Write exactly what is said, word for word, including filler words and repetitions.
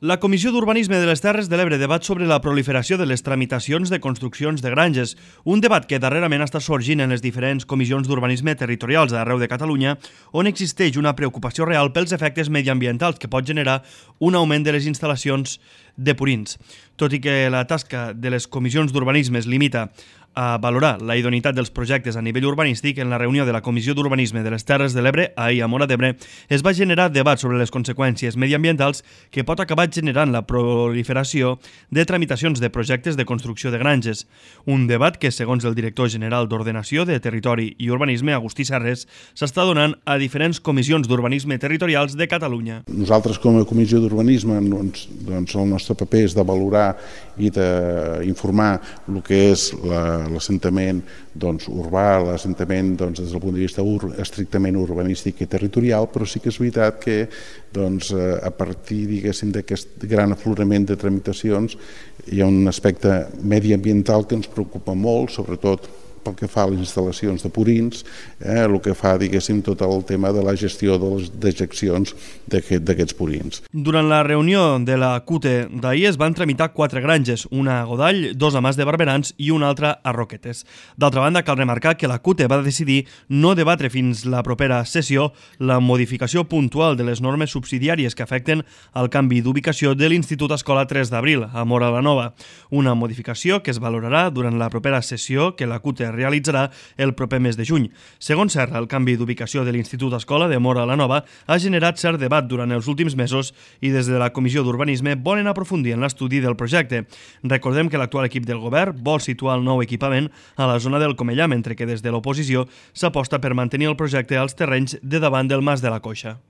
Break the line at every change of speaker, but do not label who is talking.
La Comissió d'Urbanisme de les Terres de l'Ebre debat sobre la proliferació de les tramitacions de construccions de granges, un debat que darrerament està sorgint en les diferents comissions d'urbanisme territorials d'arreu de Catalunya, on existeix una preocupació real pels efectes mediambientals que pot generar un augment de les instal·lacions de purins. Tot i que la tasca de les comissions d'urbanisme es limita a valorar la idoneïtat dels projectes a nivell urbanístic, en la reunió de la Comissió d'Urbanisme de les Terres de l'Ebre, ahir a Móra d'Ebre, es va generar debat sobre les conseqüències mediambientals que pot acabar generant la proliferació de tramitacions de projectes de construcció de granges. Un debat que, segons el director general d'Ordenació de Territori i Urbanisme, Agustí Serres, s'està donant a diferents comissions d'urbanisme territorials de Catalunya.
Nosaltres, com a Comissió d'Urbanisme, doncs, doncs el nostre paper és de valorar i d'informar el que és la l'assentament doncs, urbà, l'assentament doncs, des del punt de vista ur, estrictament urbanístic i territorial, però sí que és veritat que doncs, a partir d'aquest gran aflorament de tramitacions hi ha un aspecte mediambiental que ens preocupa molt, sobretot pel que fa a les instal·lacions de purins, eh, el que fa, diguéssim, tot el tema de la gestió de les dejeccions d'aquests purins.
Durant la reunió de la C U T E d'ahir es van tramitar quatre granges, una a Godall, dos a Mas de Barberans i una altra a Roquetes. D'altra banda, cal remarcar que la C U T E va decidir no debatre fins la propera sessió la modificació puntual de les normes subsidiàries que afecten el canvi d'ubicació de l'Institut Escola tres d'abril a Móra la Nova, una modificació que es valorarà durant la propera sessió que la C U T E realitzarà el proper mes de juny. Segons Serra, el canvi d'ubicació de l'Institut Escola de Móra la Nova ha generat cert debat durant els últims mesos i des de la Comissió d'Urbanisme volen aprofundir en l'estudi del projecte. Recordem que l'actual equip del govern vol situar el nou equipament a la zona del Comellà, mentre que des de l'oposició s'aposta per mantenir el projecte als terrenys de davant del Mas de la Coixa.